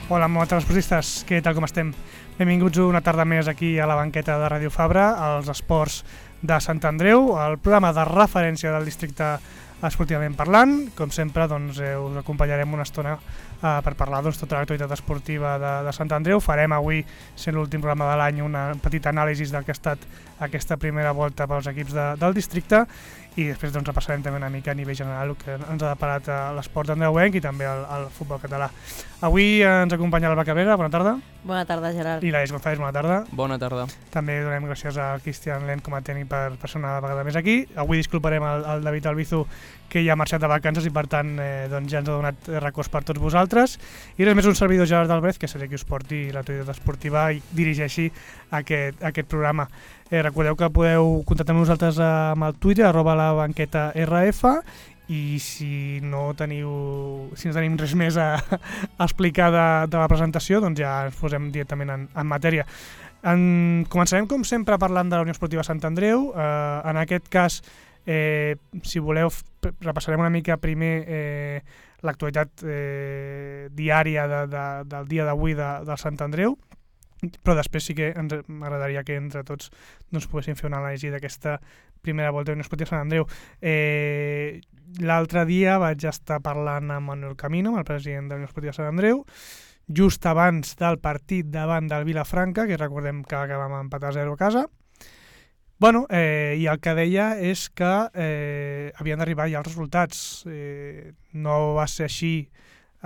Hola, molt bona esportistes, què tal, com estem? Benvinguts una tarda més aquí a la banqueta de Ràdio Fabra, als esports de Sant Andreu, el programa de referència del districte esportivament parlant. Com sempre, doncs, us acompanyarem una estona per parlar tota l'actualitat esportiva de Sant Andreu. Farem avui, sent l'últim programa de l'any, una petita anàlisi del que ha estat aquesta primera volta pels equips del districte i després doncs, repassarem també una mica a nivell general el que ens ha deparat l'esport andreuenc i també el futbol català. Avui ens acompanya l'Alba Cabrera, bona tarda. Bona tarda, Gerard. I l'Aleix González, bona tarda. Bona tarda. També donem gràcies a Cristian Len com a tècnic per ser una vegada més aquí. Avui disculparem el David Albizu, que ja ha marxat de vacances i per tant doncs ja ens ha donat records per tots vosaltres. I res més, un servidor, Gerard Albrez, que seré qui us porti l'actualitat esportiva i dirigeixi aquest programa. Recordeu que podeu contactar amb nosaltres amb el Twitter, @labanquetarf, i si no tenim res més a explicar de la presentació, doncs ja ens posem directament en matèria. Començarem, com sempre, parlant de la Unió Esportiva Sant Andreu. En aquest cas, si voleu, repassarem una mica primer l'actualitat diària del dia d'avui del Sant Andreu, però després sí que m'agradaria que entre tots doncs, poguéssim fer una anàlisi d'aquesta primera volta de la Unió Esportiva Sant Andreu. L'altre dia vaig estar parlant amb Manuel Camino, el president de la Unió Esportiva Sant Andreu, just abans del partit davant del Vilafranca, que recordem que acabàvem empatar 0 a casa. Bueno, i el que deia és que havien d'arribar ja els resultats. No va ser així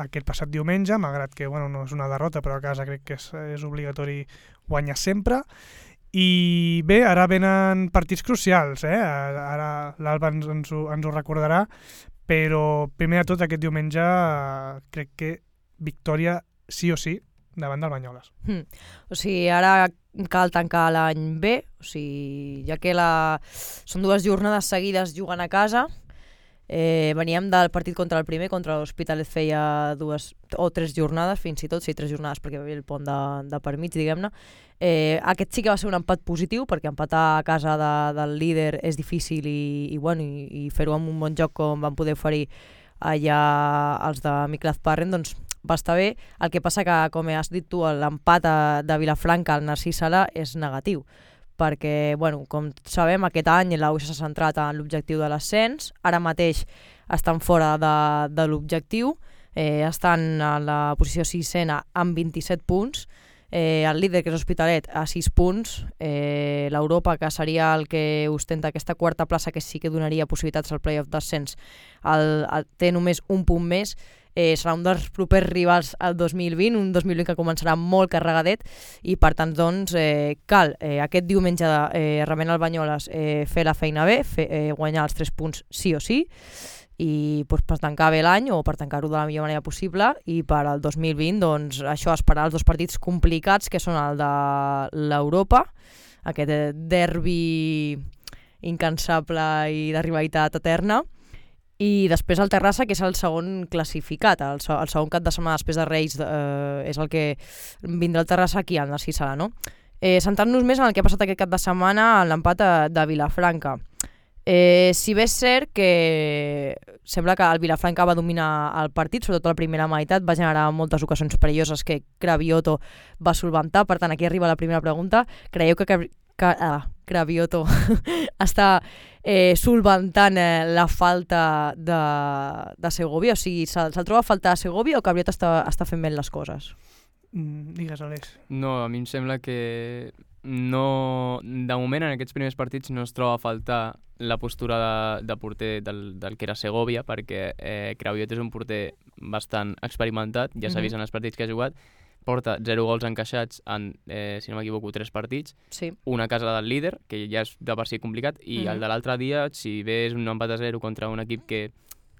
aquest passat diumenge, malgrat que no és una derrota, però a casa crec que és obligatori guanyar sempre. I bé, ara venen partits crucials, ara l'Alba ens ho recordarà, però primer de tot aquest diumenge crec que victòria sí o sí davant del Banyoles. O sigui, ara cal tancar l'any bé, o sigui, ja que són 2 jornades seguides jugant a casa. Veníem del partit contra el primer, contra l'Hospitalet feia 2 o 3 jornades, fins i tot, 3 jornades perquè va haver el pont de per mig, diguem-ne. Aquest sí que va ser un empat positiu, perquè empatar a casa del líder és difícil i fer-ho amb un bon joc com van poder oferir allà els de Miklasz Parren, doncs va estar bé. El que passa que, com has dit tu, l'empat de Vilafranca al Narcís Sala és negatiu, perquè, com sabem, aquest any l'AUS s'ha centrat en l'objectiu de l'ascens, ara mateix estan fora de l'objectiu, estan a la posició 6a amb 27 punts, el líder, que és Hospitalet, a 6 punts, l'Europa, que seria el que ostenta aquesta quarta plaça, que sí que donaria possibilitats al play-off d'ascens, té només un punt més. Serà un dels propers rivals al 2020, un 2020 que començarà molt carregadet i per tant doncs cal aquest diumenge rebent el Banyoles fer la feina bé, guanyar els 3 punts sí o sí i doncs, per tancar bé l'any o per tancar-ho de la millor manera possible i per al 2020 doncs això, esperar els 2 partits complicats que són el de l'Europa, aquest derbi incansable i de rivalitat eterna, i després el Terrassa, que és el segon classificat, el segon cap de setmana després de Reis és el que vindrà el Terrassa aquí al Narcís Sala, no? Centrant-nos més en el que ha passat aquest cap de setmana en l'empat de Vilafranca. Si bé és cert que sembla que el Vilafranca va dominar el partit, sobretot la primera meitat, va generar moltes ocasions perilloses que Cravioto va solventar. Per tant, aquí arriba la primera pregunta. Creieu que Cravioto està solventant la falta de Segovia? O sigui, se'l troba a falta de Segovia o Cravioto està fent bé les coses? Digues, Aleix. No, a mi em sembla que no, de moment en aquests primers partits no es troba a faltar la postura de porter del que era Segovia, perquè Cravioto és un porter bastant experimentat, ja s'ha vist en els partits que ha jugat, porta 0 gols encaixats en, si no m'equivoco, 3 partits, sí. Una a casa del líder, que ja és de per si complicat, i el de l'altre dia, si bé és un empat a 0 contra un equip que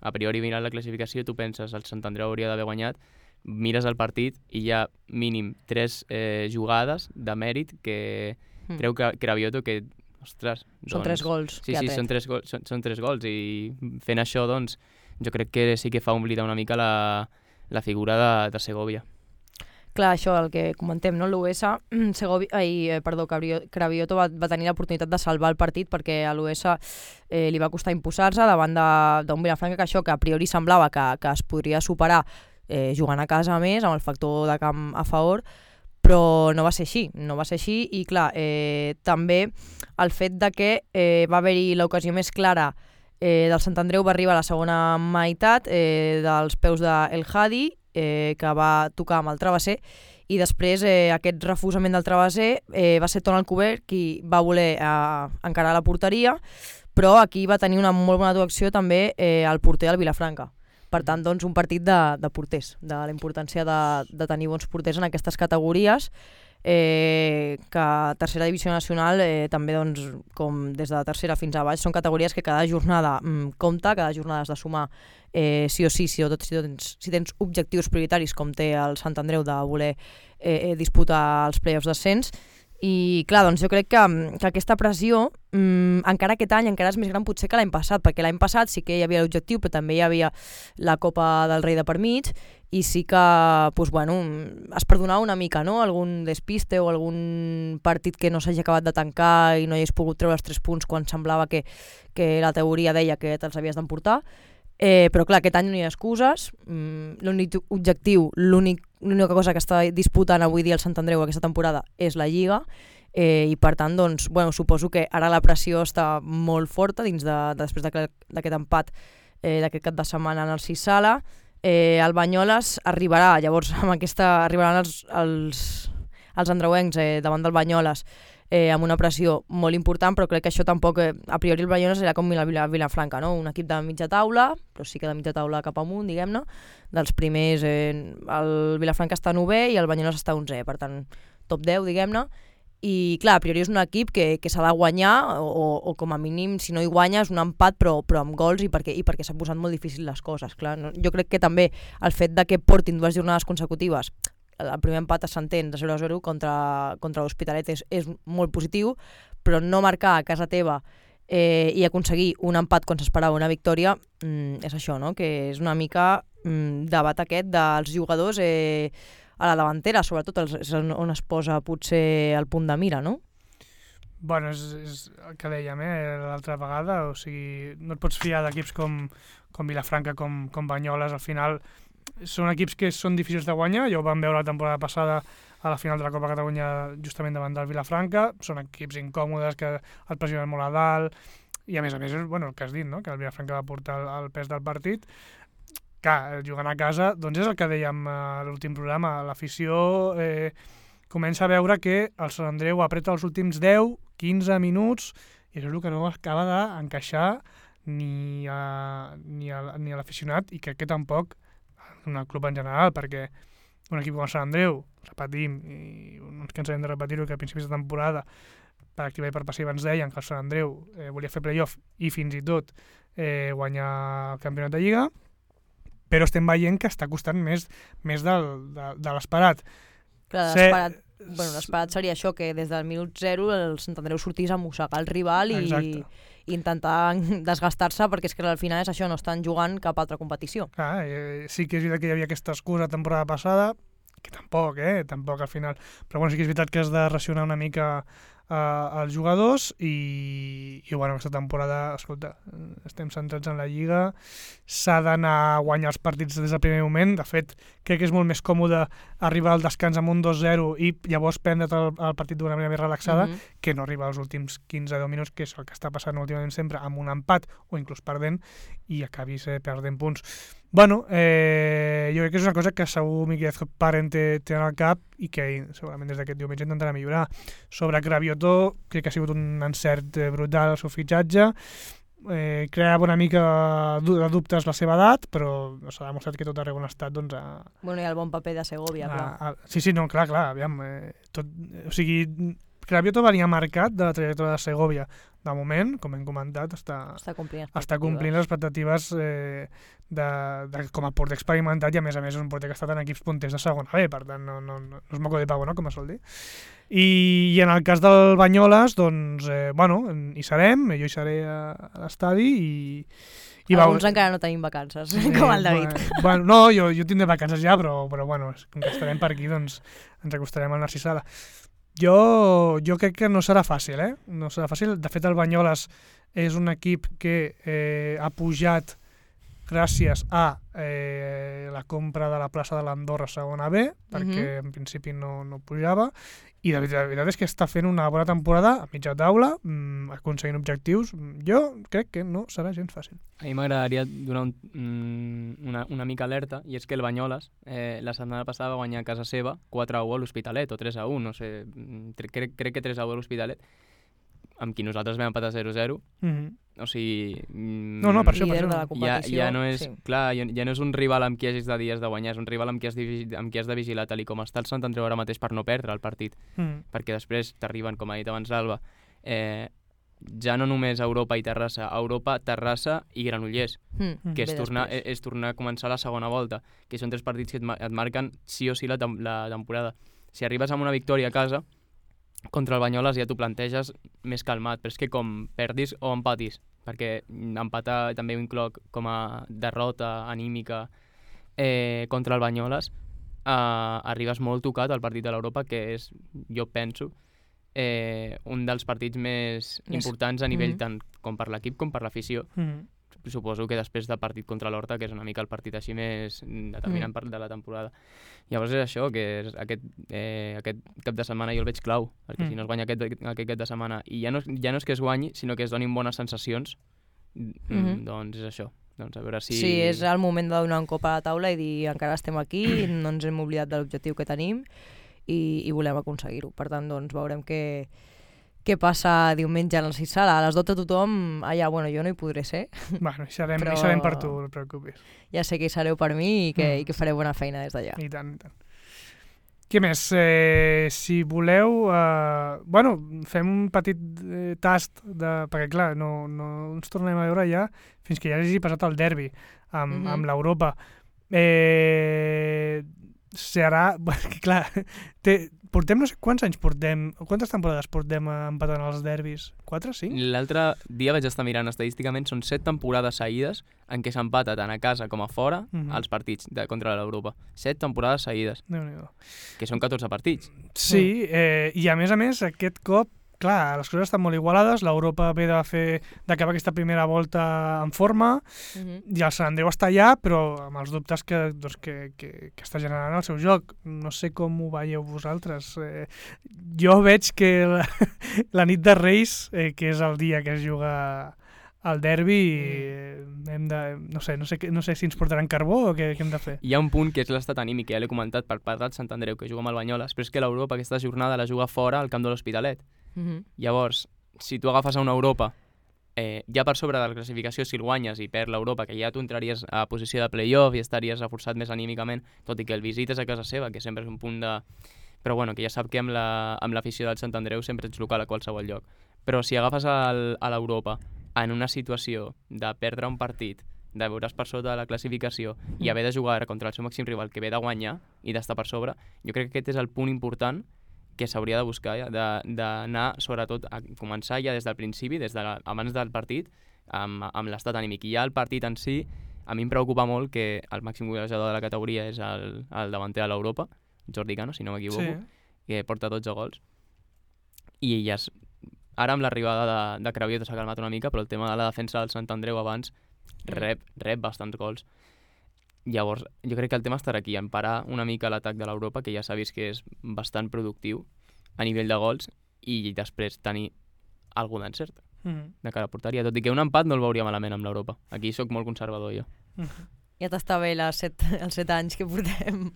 a priori mirant la classificació tu penses el Sant Andreu hauria d'haver guanyat, mires el partit i hi ha mínim 3 jugades de mèrit que creu que Cravioto que, ostres... Són 3 gols. Sí, són 3 gols i fent això, doncs, jo crec que sí que fa oblidar una mica la figura de Segovia. Clar, això, el que comentem, no? L'US, Cravioto va tenir l'oportunitat de salvar el partit perquè a l'US li va costar imposar-se davant d'un Vilafranca que això, que a priori semblava que es podria superar jugant a casa a més, amb el factor de camp a favor, però no va ser així, i clar, també el fet de que va haver-hi l'ocasió més clara del Sant Andreu va arribar a la segona meitat dels peus d'El Hadi, que va tocar amb el travesser, i després aquest refusament del travesser va ser Ton Alcover qui va voler encarar la porteria, però aquí va tenir una molt bona actuació també el porter del Vilafranca. Per tant, doncs, un partit de porters, de la importància de tenir bons porters en aquestes categories, que a tercera divisió nacional també, doncs, com des de la tercera fins a baix, són categories que cada jornada compta, cada jornada has de sumar sí o sí, si tens objectius prioritaris com té el Sant Andreu de voler disputar els play-offs d'ascens. I clar, doncs jo crec que aquesta pressió encara aquest any encara és més gran potser que l'any passat, perquè l'any passat sí que hi havia l'objectiu, però també hi havia la Copa del Rei de per mig, i sí que doncs, bueno, es perdonava una mica, no? Algun despiste o algun partit que no s'hagi acabat de tancar i no hi hagués pogut treure els 3 punts quan semblava que la teoria deia que te'ls havies d'emportar. Però clar, aquest any no hi ha excuses, l'únic objectiu, l'única cosa que està disputant avui dia el Sant Andreu aquesta temporada és la Lliga, i per tant, doncs, bueno, suposo que ara la pressió està molt forta dins després d'aquest empat d'aquest cap de setmana en el 6 Sala. El Banyoles arribarà, llavors amb aquesta arribaran els andreuencs davant del Banyoles amb una pressió molt important, però crec que això tampoc, a priori el Banyoles era com el Vilafranca, no? Un equip de mitja taula, però sí que de mitja taula cap amunt, diguem-ne, dels primers, el Vilafranca està 9è i el Banyoles està 11è, per tant, top 10, diguem-ne, i clar, a priori és un equip que s'ha de guanyar, o com a mínim, si no hi guanya, és un empat, però amb gols, i perquè s'han posat molt difícil les coses, clar. No? Jo crec que també el fet de que portin 2 jornades consecutives, el primer empat s'entén de 0-0 contra l'Hospitalet és molt positiu, però no marcar a casa teva i aconseguir un empat quan s'esperava una victòria és això, no? Que és una mica debat aquest dels jugadors a la davantera, sobretot és on es posa potser el punt de mira, no? Bueno, és el que dèiem l'altra vegada, o sigui, no et pots fiar d'equips com Vilafranca, com Banyoles, al final són equips que són difícils de guanyar, ja ho vam veure la temporada passada a la final de la Copa Catalunya justament davant del Vilafranca, són equips incòmodes que et pressionen molt a dalt, i a més, bueno, el que has dit, no? Que el Vilafranca va portar el pes del partit. Clar, jugant a casa, doncs és el que dèiem a l'últim programa, l'afició comença a veure que el Sant Andreu apreta els últims 10-15 minuts, i és el que no acaba d'encaixar ni a l'aficionat, i crec que tampoc en el club en general, perquè un equip com el Sant Andreu, repetim, i no ens cansarem de repetir-ho, que a principis de temporada per activa i per passiva ens deien que el Sant Andreu volia fer playoff i fins i tot guanyar el campionat de Lliga, però estem veient que està costant més de l'esperat. Clar, l'esperat seria això, que des del minut 0 el Sant Andreu sortís a mossegar el rival i intentar desgastar-se, perquè és que al final és això, no estan jugant cap altra competició. Clar, sí que és veritat que hi havia aquesta excusa la temporada passada, que tampoc al final, però bueno, sí que és veritat que has de racionar una mica els jugadors i bueno, aquesta temporada, escolta, estem centrats en la Lliga, s'ha d'anar a guanyar els partits des del primer moment. De fet, crec que és molt més còmode arribar al descans amb un 2-0 i llavors prendre't el partit d'una manera més relaxada que no arribar als últims 15-10 minuts, que és el que està passant últimament sempre, amb un empat o inclús perdent, i acabis perdent punts. Bueno, jo crec que és una cosa que segur Miquel Parent té en el cap i que segurament des d'aquest diumenge intentarà millorar. Sobre Craviotó, crec que ha sigut un encert brutal el seu fitxatge, creava una mica de dubtes la seva edat, però s'ha demostrat que tot arreu on ha estat, doncs... Bueno, i el bon paper de Segovia, clar. Sí, no, clar, aviam, o sigui, Craviotó venia marcat de la trajectòria de Segovia. De moment, com hem comentat, està complint les expectatives com a porter experimentat, i a més és un porter que ha estat en equips punters de segona B, per tant no és moco de pavo, no?, com es sol dir. I en el cas del Banyoles, doncs, bueno, hi serem, jo hi seré a l'estadi i alguns encara no tenim vacances, com el David. Bueno, no, jo tindré vacances ja, però bueno, com que estarem per aquí, doncs ens acostarem al Narcís Sala. Jo crec que no serà fàcil, no serà fàcil. De fet, el Banyoles és un equip que ha pujat gràcies a la compra de la plaça de l'Andorra segona B, perquè en principi no pujava, i la veritat és que està fent una bona temporada a mitja taula, aconseguint objectius. Jo crec que no serà gens fàcil. A mi m'agradaria donar una mica alerta, i és que el Banyoles la setmana passada va guanyar a casa seva 4-1 a l'Hospitalet, o 3-1, no sé, crec que 3-1 a l'Hospitalet, amb qui nosaltres vam empatar 0-0. O sigui... No, per això. Líder de la competició. Ja no és, clar, ja no és un rival amb qui hagis de dies de guanyar, és un rival amb qui has de vigilar, tal i com està el Sant Andreu ara mateix, per no perdre el partit. Perquè després t'arriben, com ha dit abans l'Alba, ja no només a Europa i Terrassa, a Europa, Terrassa i Granollers, que és tornar a començar la segona volta, que són 3 partits que et marquen sí o sí la temporada. Si arribes amb una victòria a casa, contra el Banyoles ja t'ho planteges més calmat, però és que com perdis o empatis, perquè empatar també ho incloc com a derrota anímica contra el Banyoles, arribes molt tocat al partit de l'Europa, que és, jo penso, un dels partits més importants a nivell tant com per l'equip com per l'afició. Suposo que després del partit contra l'Horta, que és una mica el partit així més determinant de la temporada. Llavors és això, que és aquest cap de setmana jo el veig clau, perquè si no es guanya aquest cap de setmana, i ja no és que es guanyi, sinó que es donin bones sensacions, doncs és això. Doncs a veure si... Sí, és el moment de donar un cop a la taula i dir encara estem aquí, no ens hem oblidat de l'objectiu que tenim i volem aconseguir-ho. Per tant, doncs veurem què passa diumenge a la Sala. A les 12 tothom, allà, bueno, jo no hi podré ser. Bueno, hi serem per tu, no et preocupis. Ja sé que hi sereu per mi i que fareu bona feina des d'allà. I tant, i tant. Què més? Si voleu, fem un petit tast, perquè clar, no ens tornem a veure ja fins que ja hagi passat el derbi amb l'Europa. Serà... Clar, portem no sé quants anys portem, quantes temporades portem empatant els derbis? 4, 5? L'altre dia vaig estar mirant estadísticament, són 7 temporades seguides en què s'empata tant a casa com a fora els partits contra l'Europa. 7 temporades seguides. Déu-n'hi-do. Que són 14 partits. Sí, i a més, aquest cop, clar, les coses estan molt igualades, l'Europa ve d'acabar aquesta primera volta en forma, i el Sant Andreu està allà, però amb els dubtes que està generant el seu joc. No sé com ho veieu vosaltres. Jo veig que la nit de Reis, que és el dia que es juga el derbi, no sé si ens portaran carbó o què hem de fer. Hi ha un punt que és l'estat anímic, que ja l'he comentat per part del Sant Andreu, que juga amb el Banyoles, però és que l'Europa aquesta jornada la juga fora al camp de l'Hospitalet. Llavors, si tu agafes a una Europa ja per sobre de la classificació, si el guanyes i perd l'Europa, que ja tu entraries a posició de play-off i estaries reforçat més anímicament, tot i que el visites a casa seva, que sempre és un punt de... Però bueno, que ja sap que amb l'afició del Sant Andreu sempre ets local a qualsevol lloc. Però si agafes a l'Europa en una situació de perdre un partit, de veure's per sota de la classificació i haver de jugar contra el seu màxim rival que ve de guanyar i d'estar per sobre, jo crec que aquest és el punt important que s'hauria de buscar, d'anar sobretot a començar ja des del principi, abans del partit, amb l'estat anímic. I ja el partit en si, a mi em preocupa molt que el màxim golejador de la categoria és el davanter de l'Europa, Jordi Cano, si no m'equivoco, que porta 12 gols. I ara amb l'arribada de Craviot s'ha calmat una mica, però el tema de la defensa del Sant Andreu abans rep bastants gols. Llavors, jo crec que el tema estarà aquí, en parar una mica l'atac de l'Europa, que ja s'ha vist que és bastant productiu a nivell de gols, i després tenir algú d'encert de cara a porteria. Tot i que un empat no el veuria malament amb l'Europa. Aquí sóc molt conservador, jo. Ja t'està bé els 7 anys que portem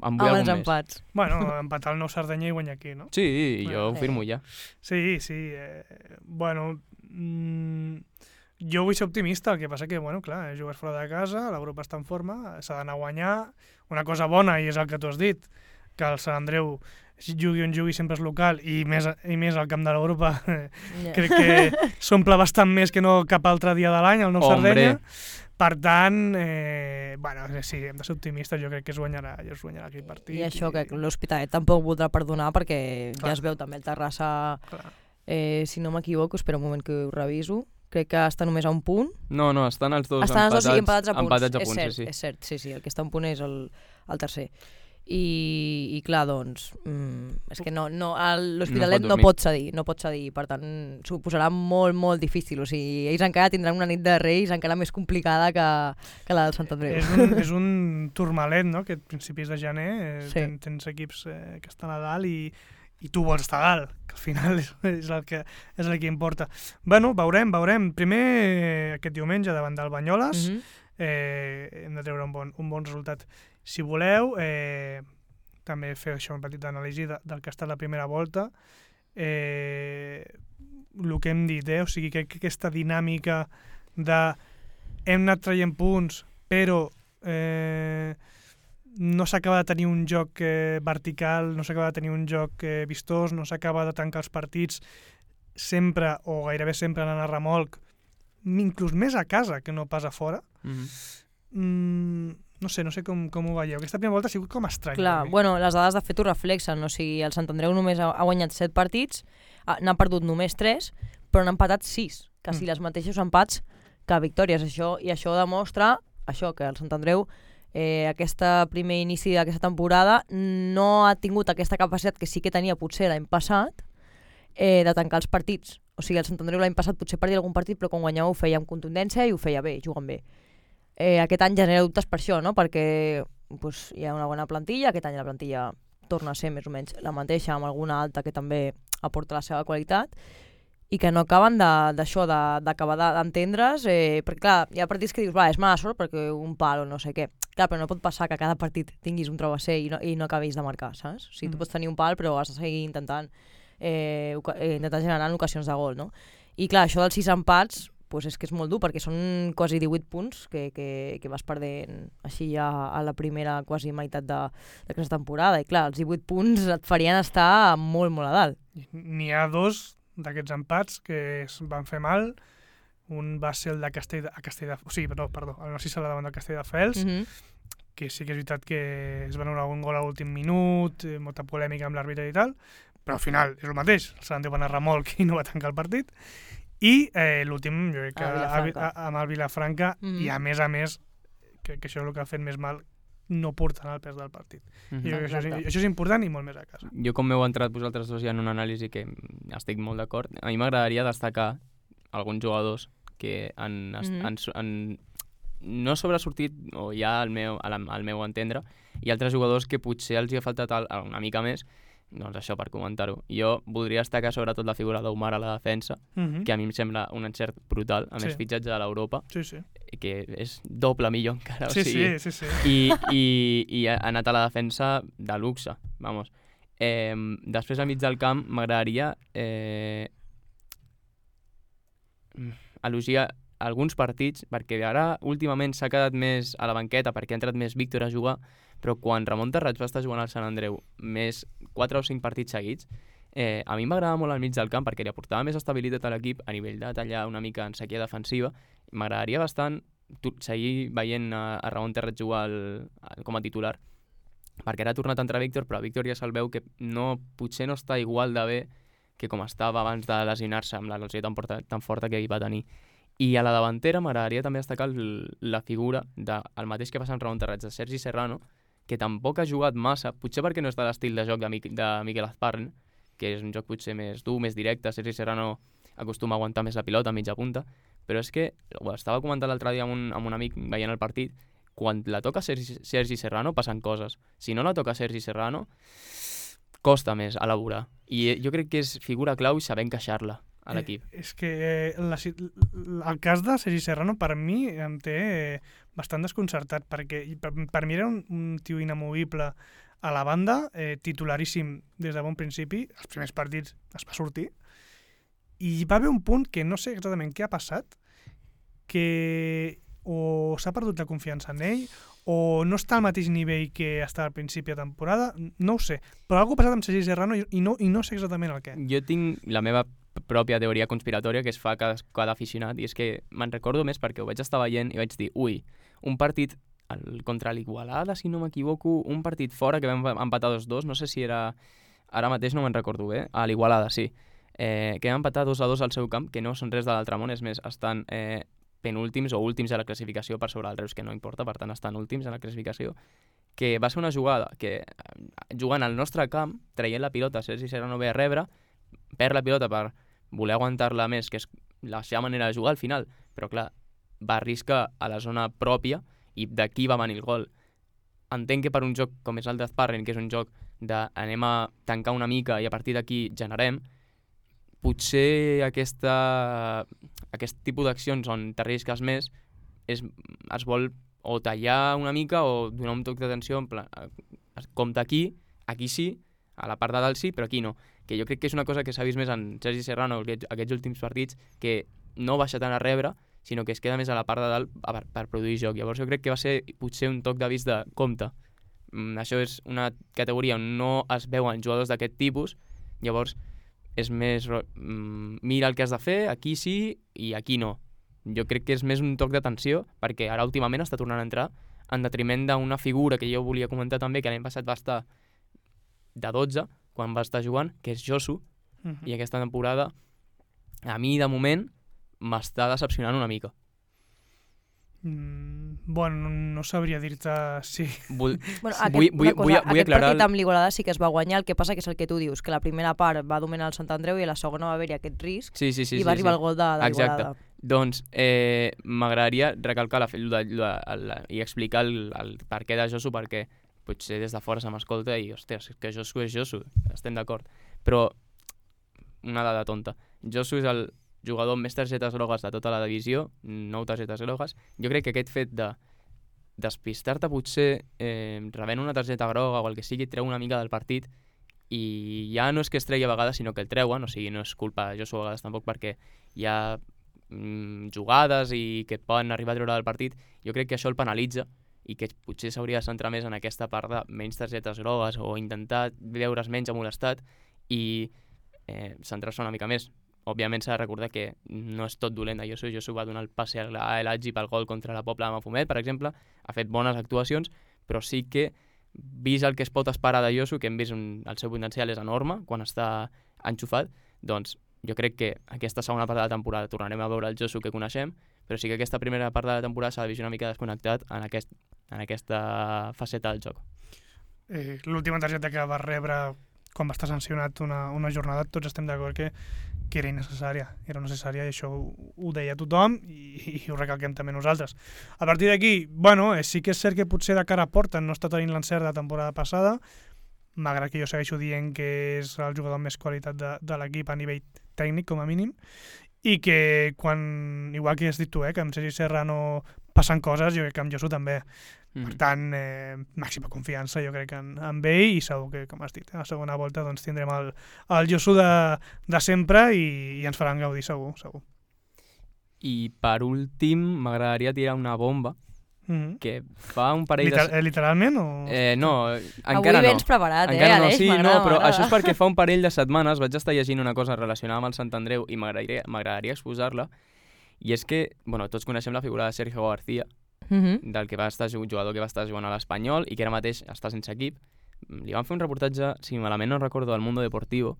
amb els empats. Bueno, empatar el Nou Sardenya i guanyar aquí, no? Sí, jo ho firmo ja. Sí. Bueno... Jo vull ser optimista, el que passa que, bueno, clar, jugues fora de casa, l'Europa està en forma, s'ha d'anar a guanyar. Una cosa bona, i és el que tu has dit, que el Sant Andreu jugui on jugui sempre és local, i més al camp de l'Europa, crec que s'omple bastant més que no cap altre dia de l'any, el Nou Sardenya. Per tant, sí, hem de ser optimistes, jo crec que es guanyarà aquell partit. I això, que l'Hospitalet tampoc voldrà perdonar, perquè ja es veu també el Terrassa, si no m'equivoco, espera un moment que ho reviso. Crec que està només a un punt. No, estan els dos empatats a punts. sí. És cert, sí, el que està a un punt és el tercer. i clar, doncs, és que l'Hospitalet No pot no pot cedir, per tant, s'ho posarà molt, molt difícil, o sigui, ells encara tindran una nit de Reis encara més complicada que la del Sant Andreu. És un turmalet, no?, que a principis de gener Sí. tens equips que estan a dalt i tu vols estar a dalt, que al final és el que importa. Bueno, veurem. Primer, aquest diumenge, davant del Banyoles, hem de treure un bon resultat. Si voleu, també fer això un petit anàlisi del que ha estat la primera volta. El que hem dit, o sigui, que aquesta dinàmica de hem anat traient punts, però no s'acaba de tenir un joc vertical, no s'acaba de tenir un joc vistós, no s'acaba de tancar els partits sempre, o gairebé sempre anant a remolc, inclús més a casa que no pas a fora. No sé com ho veieu. Aquesta primera volta ha sigut com estrany. Clar, bueno, les dades de fet ho reflexen, o sigui, el Sant Andreu només ha guanyat 7 partits, n'ha perdut només 3, però n'ha empatat 6, quasi les mateixos empats que victòries. I això demostra que el Sant Andreu, aquest primer inici d'aquesta temporada, no ha tingut aquesta capacitat que sí que tenia potser l'any passat de tancar els partits. O sigui, el Sant Andreu l'any passat potser perdia algun partit, però quan guanyava ho feia amb contundència i ho feia bé, jugant bé. Aquest any genera dubtes per això, no? Perquè hi ha una bona plantilla, aquest any la plantilla torna a ser més o menys la mateixa, amb alguna alta que també aporta la seva qualitat, i que no acaben d'acabar d'entendre's, perquè clar, hi ha partits que dius, és mala sort perquè un pal o no sé què. Clar, però no pot passar que a cada partit tinguis un travesser i no acabis de marcar, saps? O sigui, tu pots tenir un pal però has de seguir intentant generar ocasions de gol, no? I clar, això dels 6 empats, és que és molt dur, perquè són quasi 18 punts que vas perdent així ja a la primera quasi meitat d'aquesta temporada. I clar, els 18 punts et farien estar molt, molt a dalt. N'hi ha 2 d'aquests empats que es van fer mal. Un va ser el de el Narcís Sala davant del Castelldefels, que sí que és veritat que es van donar un gol a l'últim minut, molta polèmica amb l'àrbitre i tal, però al final és el mateix. El Sant Andreu va anar a remolc i no va tancar el partit. I l'últim, jo crec que amb el Vilafranca, i a més, crec que això és el que ha fet més mal, no portant el pes del partit. I això és important i molt més a casa. Jo, com m'heu entrat vosaltres dos ja en una anàlisi que estic molt d'acord, a mi m'agradaria destacar alguns jugadors que no sobresortit, o ja al meu entendre, i altres jugadors que potser els hi ha faltat una mica més. Doncs això, per comentar-ho. Jo voldria destacar sobretot la figura d'Omar a la defensa, que a mi em sembla un encert brutal, a més fitxatge de l'Europa, que és doble millor encara. I ha anat a la defensa de luxe, vamos. Després al mig del camp m'agradaria elogiar alguns partits, perquè ara últimament s'ha quedat més a la banqueta perquè ha entrat més Víctor a jugar, però quan Ramon Terrats va estar jugant al Sant Andreu més 4 o 5 partits seguits, a mi m'agradava molt al mig del camp perquè li aportava més estabilitat a l'equip a nivell de tallar una mica en sequia defensiva. M'agradaria bastant seguir veient a Ramon Terrats jugar com a titular, perquè ara ha tornat a entrar Víctor, però Víctor ja se'l veu que potser no està igual de bé que com estava abans de lesionar-se amb la lesió tan forta que hi va tenir. I a la davantera m'agradaria també destacar la figura del mateix que passa amb Ramon Terrats, de Sergi Serrano, que tampoc ha jugat massa, potser perquè no és de l'estil de joc de Miquel Azparren, que és un joc potser més dur, més directe. Sergi Serrano acostuma a aguantar més la pilota a mitja punta, però és que, ho estava comentant l'altre dia amb un amic veient el partit, quan la toca Sergi Serrano passen coses. Si no la toca Sergi Serrano, costa més elaborar. I jo crec que és figura clau i saber encaixar-la a l'equip. És que el cas de Sergi Serrano per mi em té bastant desconcertat, perquè per mi era un tio inamovible a la banda, titularíssim des de bon principi. Els primers partits es va sortir i va haver un punt que no sé exactament què ha passat, que o s'ha perdut la confiança en ell o no està al mateix nivell que estava al principi de temporada, no ho sé, però alguna cosa ha passat amb Sergi Serrano i no sé exactament el què. Jo tinc la meva pròpia teoria conspiratòria que es fa cada aficionat, i és que me'n recordo més perquè ho vaig estar veient i vaig dir, un partit contra l'Igualada, si no m'equivoco, un partit fora que vam empatar 2-2, no sé si era, ara mateix no me'n recordo bé, a l'Igualada, sí, que vam empatar 2-2 al seu camp, que no són res de l'altre món, és més, estan penúltims o últims a la classificació per sobre del Reus, que no importa, per tant estan últims a la classificació, que va ser una jugada que jugant al nostre camp, traient la pilota, Sergi Serrano ve a rebre, perd la pilota per voler aguantar-la més, que és la seva manera de jugar al final, però clar, va arriscar a la zona pròpia i d'aquí va venir el gol. Entenc que per un joc com és el Death Parren, que és un joc de anem a tancar una mica i a partir d'aquí generem, potser aquest tipus d'accions on t'arrisques més es vol o tallar una mica o donar un toc d'atenció en plan, compta aquí sí, a la part de dalt sí, però aquí no. Que jo crec que és una cosa que s'ha vist més en Sergi Serrano aquests últims partits, que no baixa tant a rebre, sinó que es queda més a la part de dalt per produir joc. Llavors jo crec que va ser potser un toc d'avís de compte. Això és una categoria on no es veuen jugadors d'aquest tipus, llavors és més mira el que has de fer, aquí sí i aquí no. Jo crec que és més un toc d'atenció, perquè ara últimament està tornant a entrar en detriment d'una figura que jo volia comentar també, que l'any passat va estar de 12, quan va estar jugant, que és Josu, i aquesta temporada, a mi, de moment, m'està decepcionant una mica. Bueno, no sabria dir-te si... Vull aquest aclarar... partit amb l'Igualada sí que es va guanyar, el que passa que és el que tu dius, que la primera part va dominar el Sant Andreu i a la segona va haver-hi aquest risc i va arribar el gol de l'Igualada. Doncs m'agradaria recalcar i explicar el per què de Josu, perquè potser des de fora se m'escolta i, hòsties, que Josu és Josu, estem d'acord. Però una dada tonta. Josu és el jugador amb més targetes grogues de tota la divisió, 9 targetes grogues. Jo crec que aquest fet de despistar-te potser rebent una targeta groga o el que sigui, treu una mica del partit i ja no és que es tregui a vegades, sinó que el treuen, o sigui, no és culpa de Josu a vegades tampoc, perquè hi ha jugades i que et poden arribar a treure del partit. Jo crec que això el penalitza i que potser s'hauria de centrar més en aquesta part de menys targetes grogues o intentar veure's menys molestat i centrar-se una mica més. Òbviament s'ha de recordar que no és tot dolent de Josu. Josu va donar el passe a l'Aggi pel gol contra la Pobla de Mafumet, per exemple, ha fet bones actuacions, però sí que, vist el que es pot esperar de Josu, que hem vist el seu potencial és enorme quan està enxufat, doncs jo crec que aquesta segona part de la temporada tornarem a veure el Josu que coneixem, però sí que aquesta primera part de la temporada s'ha de vist una mica desconnectat en aquesta faceta del joc. L'última targeta que va rebre quan va estar sancionat una jornada, tots estem d'acord que era innecessària. Era necessària i això ho deia tothom i ho recalquem també nosaltres. A partir d'aquí, bueno, sí que és cert que potser de cara a porta no està tenint l'encert de la temporada passada, malgrat que jo segueixo dient que és el jugador amb més qualitat de l'equip a nivell tècnic, com a mínim, i que quan, igual que has dit tu, que amb Sergi Serrano passen coses, jo crec que amb Josu també. Per tant, màxima confiança jo crec en ell i segur que, com has dit, a la segona volta doncs, tindrem el Josu de sempre i ens faran gaudir segur. I per últim m'agradaria tirar una bomba que fa un parell Literalment o...? No, encara no. Avui vens preparat, encara no, Aleix? sí, no, però això és perquè fa un parell de setmanes vaig estar llegint una cosa relacionada amb el Sant Andreu i m'agradaria exposar-la, i és que, bueno, tots coneixem la figura de Sergio García, del que va estar jugador que va estar jugant a l'Espanyol i que ara mateix està sense equip. Li van fer un reportatge, si malament no recordo, del Mundo Deportivo,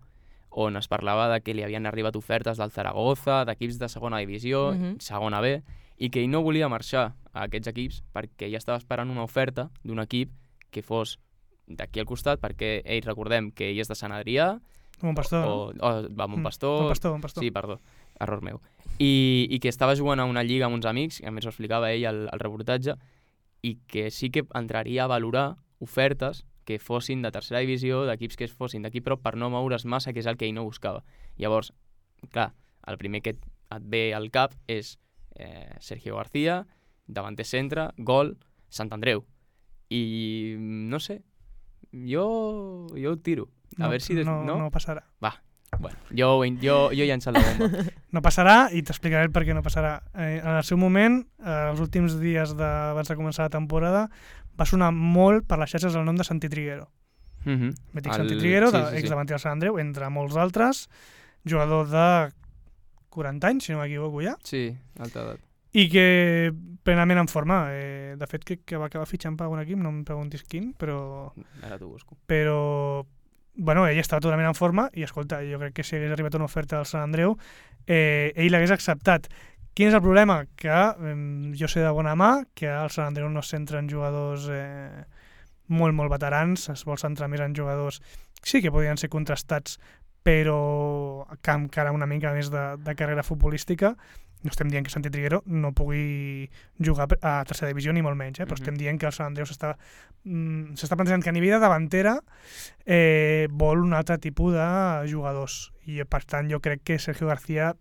on es parlava de que li havien arribat ofertes del Zaragoza, d'equips de segona divisió, segona B, i que ell no volia marxar a aquests equips perquè ja estava esperant una oferta d'un equip que fos d'aquí al costat, perquè ell, recordem que ell és de Sant Adrià, Montpastor, Montpastor. Sí, perdó, error meu. I que estava jugant a una lliga amb uns amics, a més ho explicava ell al reportatge, i que sí que entraria a valorar ofertes que fossin de tercera divisió, d'equips que fossin d'aquí prop per no moure's massa, que és el que ell no buscava. Llavors, clar, el primer que et ve al cap és Sergio García, davanter centre, gol, Sant Andreu. I no sé, jo ho tiro. A veure si... No passarà. Va, bueno, jo ja he llançat la bomba. No passarà i t'explicaré el per què no passarà. En el seu moment, els últims dies abans de començar la temporada, va sonar molt per les xarxes el nom de Santi Triguero. Mític Santi Triguero, exdavanter del Sant Andreu, entre molts altres, jugador de 40 anys, si no m'equivoco ja. Sí, alta edat. I que plenament en forma. De fet, crec que va acabar fitxant per algun equip, no em preguntis quin, però... Ara t'ho busco. Però... Bueno, ell estava totalment en forma i, escolta, jo crec que si hagués arribat una oferta del Sant Andreu, ell l'hagués acceptat. Quin és el problema? Que jo sé de bona mà que al Sant Andreu no es centren jugadors molt, molt veterans, es vol centrar més en jugadors sí que podien ser contrastats, però que amb encara una mica més de carrera futbolística. No estem dient que Santi Triguero no pugui jugar a tercera divisió ni molt menys, però estem dient que el Sant Andreu s'està plantejant que a nivell de davantera vol un altre tipus de jugadors, i per tant jo crec que Sergio García,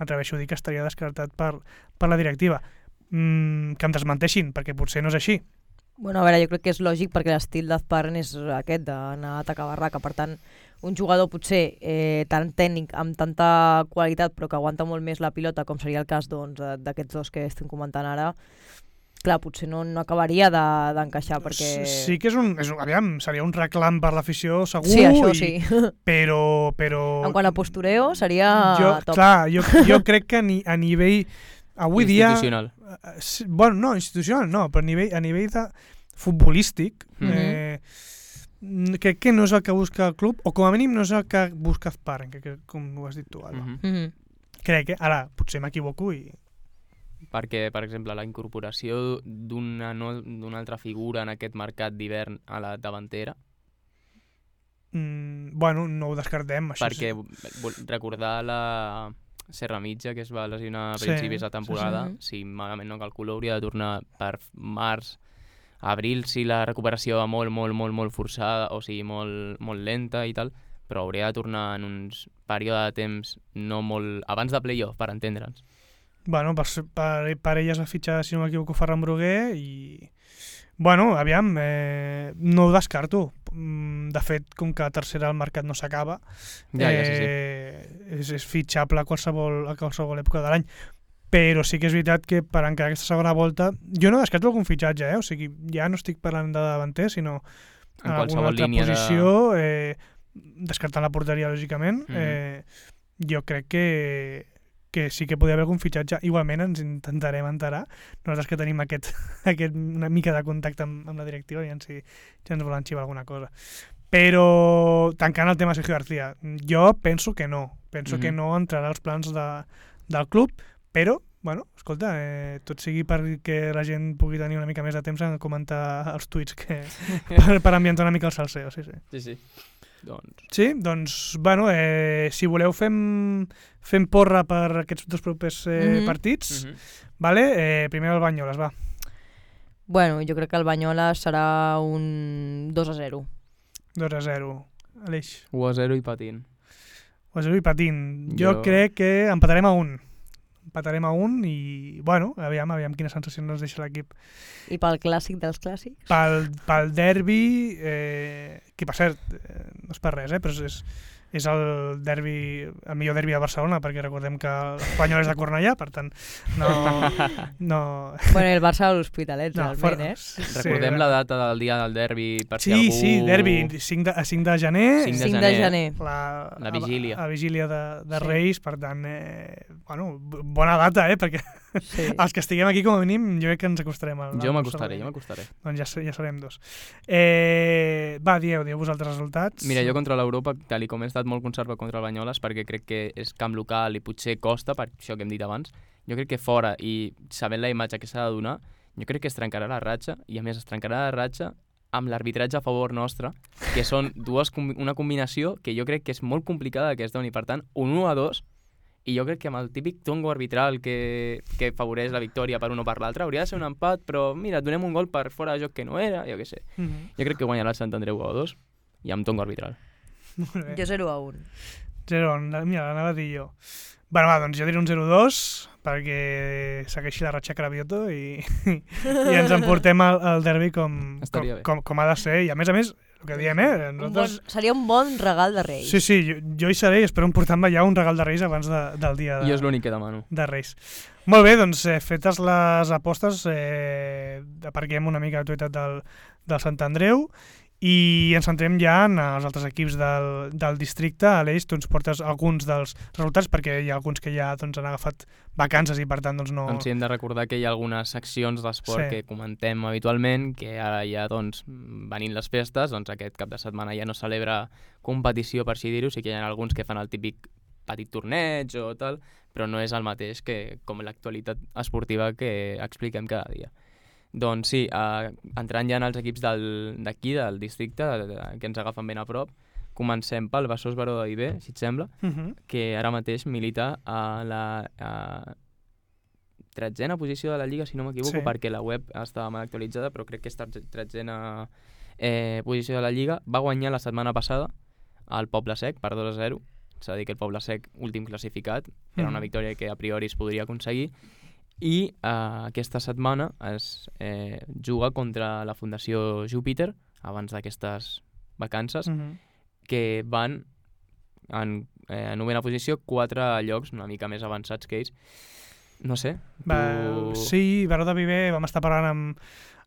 m'atreveixo a dir que estaria descartat per la directiva. Que em desmenteixin, perquè potser no és així. Bueno, a veure, jo crec que és lògic perquè l'estil d'Azparen és aquest, d'anar a atacar barraca. Per tant, un jugador potser tan tècnic, amb tanta qualitat, però que aguanta molt més la pilota, com seria el cas d'aquests dos que estem comentant ara, clar, potser no acabaria d'encaixar, perquè... Sí que aviam, seria un reclam per l'afició segur, sí, això sí. Però... En quant a postureo, seria top. Clar, jo crec que a nivell... Avui institucional. Bueno, no, institucional no, però a nivell de futbolístic, crec que no és el que busca el club, o com a mínim no és el que busca Azparen, que com ho has dit tu, Alba. Crec que, ara, potser m'equivoco i... Perquè, per exemple, la incorporació d'una altra figura en aquest mercat d'hivern a la davantera... Bueno, no ho descartem, això perquè recordar la Serra Mitja, que es va lesionar a principis de temporada, si malament no calculo, hauria de tornar per març, abril, si la recuperació va molt forçada, o sigui, molt lenta i tal, però hauria de tornar en uns període de temps no molt... abans de playoff, per entendre'ns. Bueno, per elles ha fitxat, si no m'equivoco, Ferran Bruguer i... Bueno, aviam, no ho descarto. De fet, com que a tercera el mercat no s'acaba, és fitxable a qualsevol època de l'any. Però sí que és veritat que per encara aquesta segona volta... Jo no descarto algun fitxatge, o sigui, ja no estic parlant de davanter, sinó en alguna altra posició, descartant la porteria, lògicament. Jo crec que sí que podria haver algun fitxatge. Igualment ens intentarem enterar, nosaltres que tenim aquest una mica de contacte amb la directiva, i si ens volen xivar alguna cosa. Però tancant el tema Sergio García, jo penso que no. Penso que no entrarà als plans del club, però, bueno, escolta, tot sigui perquè la gent pugui tenir una mica més de temps en comentar els tuits per ambientar una mica el salseo, sí. Sí. Doncs, bueno, si voleu fem porra per aquests dos propers partits. Vale? Primer el Banyoles, va. Bueno, jo crec que el Banyoles serà un 2-0. 2-0. Aleix. 1-0 i patint. 1-0 i patint. Jo crec que empatarem a 1. Empatarem a 1 i, bueno, aviam quina sensació ens deixa l'equip. I pel clàssic dels clàssics? Pel derbi, que per cert, no és per res, però és el millor derbi de Barcelona, perquè recordem que l'Espanyol és de Cornellà, per tant, no... Bueno, el Barça a l'Hospitalet, realment, Recordem la data del dia del derbi, per si algú... Sí, derbi, 5 de gener. 5 de gener. La vigília. La vigília de Reis, per tant, bueno, bona data, perquè els que estiguem aquí, com a mínim, jo crec que ens acostarem. Jo m'acostaré. Doncs ja serem 2. Va, dieu vosaltres resultats. Mira, jo contra l'Europa, tal com he estat molt conservat contra el Banyoles, perquè crec que és camp local i potser costa, per això que hem dit abans, jo crec que fora, i sabent la imatge que s'ha de donar, jo crec que es trencarà la ratxa, i a més es trencarà la ratxa amb l'arbitratge a favor nostre, que són una combinació que jo crec que és molt complicada que es doni. Per tant, un 1-2, i jo crec que amb el típic tongo arbitral que afavoreix la victòria per un o per l'altre, hauria de ser un empat, però mira, donem un gol per fora de joc que no era, jo què sé. Jo crec que guanyarà el Sant Andreu 1-2 i amb tongo arbitral. Jo 0-1. 0-1, mira, l'anava a dir jo. Bueno, va, doncs jo diré un 0-2 perquè segueixi la ratxa Cravioto i ens emportem al derbi com ha de ser. I a més, el que diem, nosaltres... Seria un bon regal de Reis. Sí, jo hi seré i espero emportar-me ja un regal de Reis abans del dia jo és l'únic que demano. De Reis. Molt bé, doncs fetes les apostes, aparquem una mica l'actualitat del Sant Andreu i ens centrem ja en els altres equips del districte. Aleix, tu ens portes alguns dels resultats, perquè hi ha alguns que ja han agafat vacances i per tant no... Doncs sí, hem de recordar que hi ha algunes seccions d'esport que comentem habitualment, que ara ja venint les festes, aquest cap de setmana ja no celebra competició, per així dir-ho, sí que hi ha alguns que fan el típic petit torneig o tal, però no és el mateix que com l'actualitat esportiva que expliquem cada dia. Doncs sí, entrant ja en els equips d'aquí, del districte, que ens agafen ben a prop, comencem pel Besòs Baró de Viver, si et sembla, que ara mateix milita a la 13a posició de la Lliga, si no m'equivoco, perquè la web estava mal actualitzada, però crec que és 13a posició de la Lliga. Va guanyar la setmana passada al Poble Sec per 2-0. S'ha de dir que el Poble Sec, últim classificat, era una victòria que a priori es podria aconseguir. I aquesta setmana es juga contra la Fundació Júpiter, abans d'aquestes vacances, que van en novena posició, 4 llocs una mica més avançats que ells. No sé. Sí, Baró de Viver vam estar parlant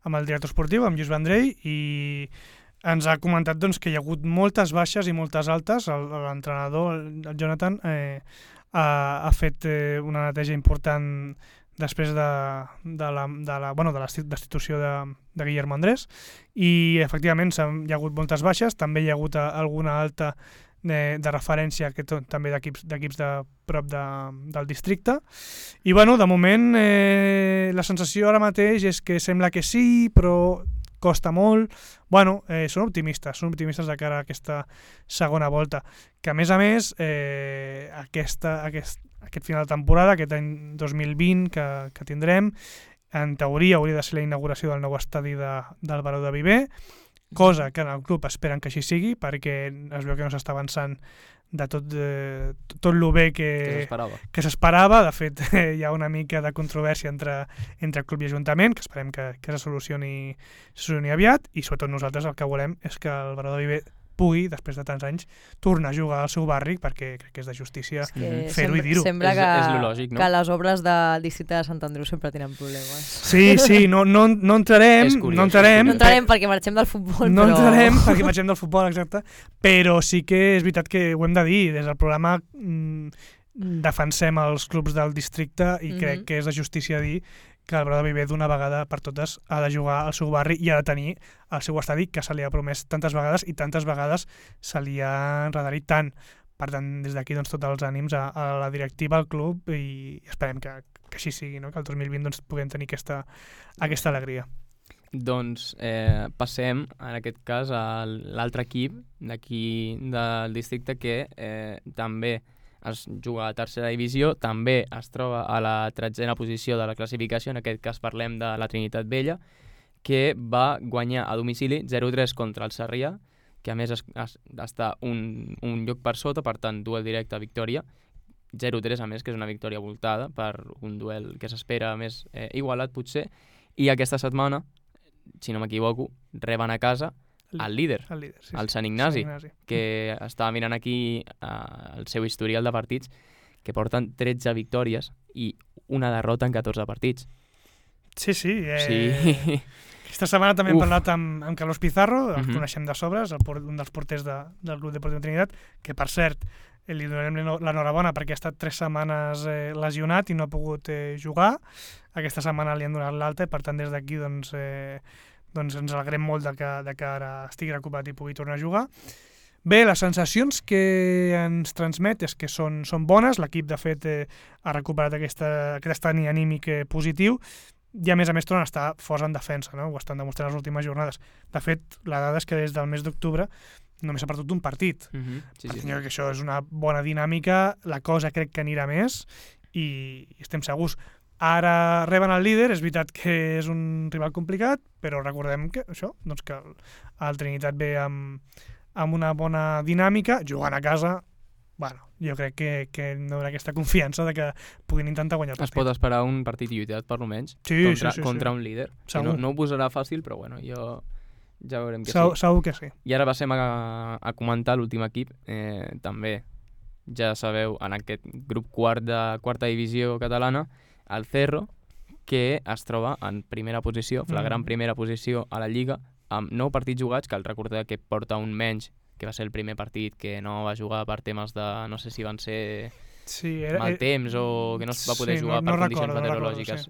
amb el director esportiu, amb Lluís Vendrell, i ens ha comentat doncs, que hi ha hagut moltes baixes i moltes altes. L'entrenador, el Jonathan, ha fet una neteja important després de la destitució de Guillermo Andrés, i efectivament hi ha hagut moltes baixes, també hi ha hagut alguna alta de referència, que també d'equips de prop del districte. I bueno, de moment la sensació ara mateix és que sembla que sí, però costa molt. Bueno, són optimistes de cara a aquesta segona volta, que a més aquest final de temporada, aquest any 2020 que tindrem, en teoria hauria de ser la inauguració del nou estadi del Baró de Viver, cosa que en el club esperen que així sigui, perquè es veu que no s'està avançant de tot el bé que s'esperava. De fet, hi ha una mica de controvèrsia entre club i ajuntament, que esperem que se solucioni aviat, i sobretot nosaltres el que volem és que el Baró de Viver pugui, després de tants anys, tornar a jugar al seu barri, perquè crec que és de justícia fer-ho i dir-ho. Sembla és lo lògic, no? Que les obres del districte de Sant Andreu sempre tenen problemes. Sí, no entrarem. No entrarem perquè marxem del futbol. No entrarem perquè marxem del futbol, exacte. Però sí que és veritat que ho hem de dir. Des del programa defensem els clubs del districte i crec que és de justícia dir que el Baró de Viver d'una vegada per totes ha de jugar al seu barri i ha de tenir el seu estadi, que se li ha promès tantes vegades i tantes vegades se li ha enredarit tant. Per tant, des d'aquí tots els ànims a la directiva, al club, i esperem que així sigui, no? Que el 2020 puguem tenir aquesta alegria. Doncs passem, en aquest cas, a l'altre equip d'aquí del districte que també es juga a tercera divisió, també es troba a la 13a posició de la classificació, en aquest cas parlem de la Trinitat Vella, que va guanyar a domicili 0-3 contra el Sarrià, que a més està un lloc per sota, per tant, duel directe, victòria. 0-3, a més, que és una victòria voltada per un duel que s'espera més igualat, potser. I aquesta setmana, si no m'equivoco, reben a casa el líder, el Sant Ignasi, que estava mirant aquí el seu historial de partits, que porten 13 victòries i una derrota en 14 partits. Sí. Aquesta setmana també hem parlat amb Carlos Pizarro, el coneixem de sobres, un dels porters del Club Deportiu Trinitat, que per cert li donarem l'enhorabona perquè ha estat 3 setmanes lesionat i no ha pogut jugar. Aquesta setmana li han donat l'alta i per tant des d'aquí doncs ens alegrem molt de que ara estigui recuperat i pugui tornar a jugar. Bé, les sensacions que ens transmet és que són bones. L'equip, de fet, ha recuperat aquest estat anímic positiu i, a més, tornen a estar forts en defensa, no? Ho estan demostrant les últimes jornades. De fet, la dada és que des del mes d'octubre només s'ha perdut un partit. Sí. Jo crec que això és una bona dinàmica, la cosa crec que anirà més i estem segurs. Ara reben el líder, és veritat que és un rival complicat, però recordem que això, doncs que el Trinitat ve amb una bona dinàmica, jugant a casa, bueno, jo crec que no hi haurà aquesta confiança de que puguin intentar guanyar el partit. Es pot esperar un partit lluitat, per almenys, contra un líder. No ho posarà fàcil, però bueno, ja veurem que sí. Segur que sí. I ara passem a comentar l'últim equip, també, ja sabeu, en aquest grup quart de quarta divisió catalana, el Cerro, que es troba en primera posició, flagrant primera posició a la Lliga, amb 9 partits jugats, cal recordar que porta un menys, que va ser el primer partit que no va jugar per temes de, no sé si van ser mal temps o que no es va poder jugar per condicions meteorològiques.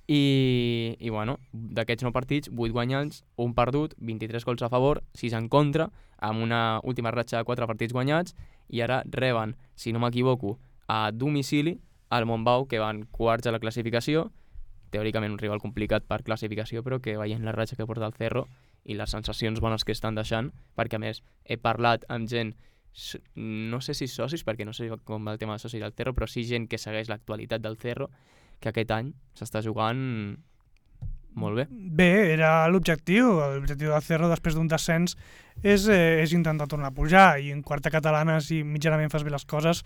I bueno, d'aquests 9 partits, 8 guanyats, 1 perdut, 23 gols a favor, 6 en contra, amb una última ratxa de 4 partits guanyats, i ara reben, si no m'equivoco, a domicili al Montbau, que van quarts a la classificació, teòricament un rival complicat per classificació, però que veient la ratxa que porta el Cerro i les sensacions bones que estan deixant, perquè a més he parlat amb gent, no sé si socis, perquè no sé com va el tema de socis del Cerro, però sí gent que segueix l'actualitat del Cerro, que aquest any s'està jugant molt bé. Bé, era l'objectiu. L'objectiu del Cerro després d'un descens és intentar tornar a pujar, i en quarta catalana, si mitjanament fas bé les coses,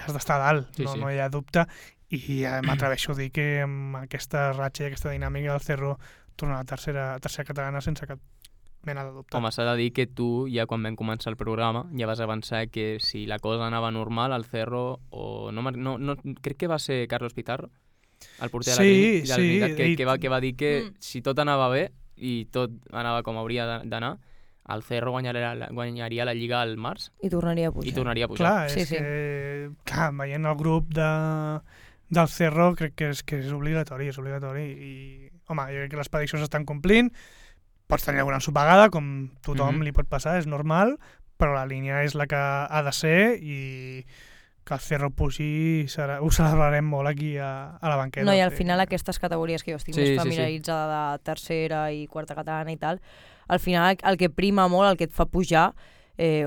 has d'estar a dalt, Sí. no hi ha dubte, i m'atreveixo a dir que amb aquesta ratxa i aquesta dinàmica del Cerro tornar a la tercera catalana sense cap mena de dubte. Home, s'ha de dir que tu, ja quan vam començar el programa, ja vas avançar que si la cosa anava normal, el Cerro, o no crec que va ser Carlos Pizarro, el porter de la Trinitat, que va dir que si tot anava bé i tot anava com hauria d'anar, el Cerro guanyaria la Lliga al març I tornaria a pujar. i tornaria a pujar. Clar, Sí, és sí. que veient el grup del Cerro crec que és obligatori, i home, jo crec que les prediccions estan complint, pots tenir alguna ensopegada, com tothom li pot passar, és normal, però la línia és la que ha de ser, i que el Cerro pugi ho celebrarem molt aquí a la banqueta. No, i al final aquestes categories que jo estic Sí, més sí, familiaritzada de tercera i quarta catalana i tal, al final el que prima molt, el que et fa pujar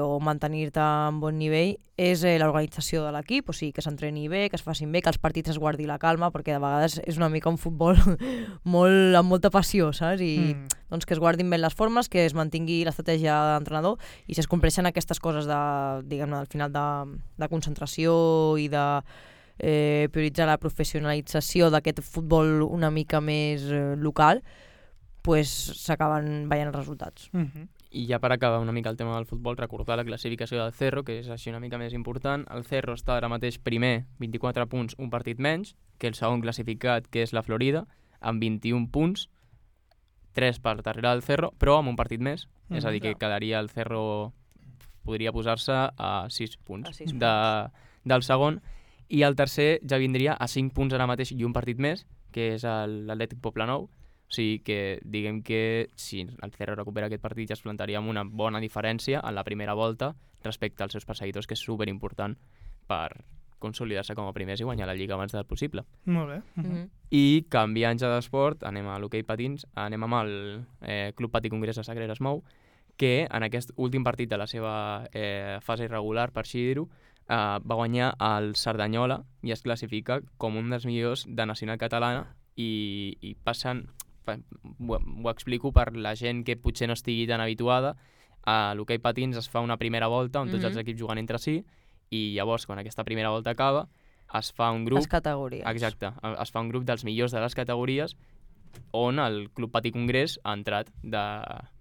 o mantenir-te en bon nivell és l'organització de l'equip, o sigui, que s'entreni bé, que es facin bé, que els partits es guardi la calma, perquè de vegades és una mica un futbol amb molta passió, saps? I doncs que es guardin bé les formes, que es mantingui l'estratègia de l'entrenador, i si es compleixen aquestes coses diguem-ne, al final de concentració i de prioritzar la professionalització d'aquest futbol una mica més local, pues s'acaben veient els resultats. I ja per acabar una mica el tema del futbol, recordar la classificació del Cerro, que és així una mica més important. El Cerro està ara mateix primer, 24 punts, un partit menys, que el segon classificat, que és la Florida, amb 21 punts, 3 per darrere del Cerro, però amb un partit més. És a dir, que quedaria el Cerro, podria posar-se a 6 punts, del segon, i el tercer ja vindria a 5 punts ara mateix i un partit més, que és l'Atlètic Poblenou. O sigui que diguem que si el Cerro recupera aquest partit ja es plantaria amb una bona diferència en la primera volta respecte als seus perseguidors, que és superimportant per consolidar-se com a primers i guanyar la Lliga abans del possible. Molt bé. I canviant ja d'esport, anem a l'hoquei patins, anem amb el Club Patí Congrés de Sagreres Mou, que en aquest últim partit de la seva fase irregular, per així dir-ho, va guanyar el Cerdanyola i es classifica com un dels millors de nacional catalana, i passen... Ho explico per la gent que potser no estigui tan habituada. A l'hoquei patins es fa una primera volta on tots els equips juguen entre si, i llavors quan aquesta primera volta acaba es fa un grup... Les categories. Exacte, es fa un grup dels millors de les categories on el Club Patí Congrés ha entrat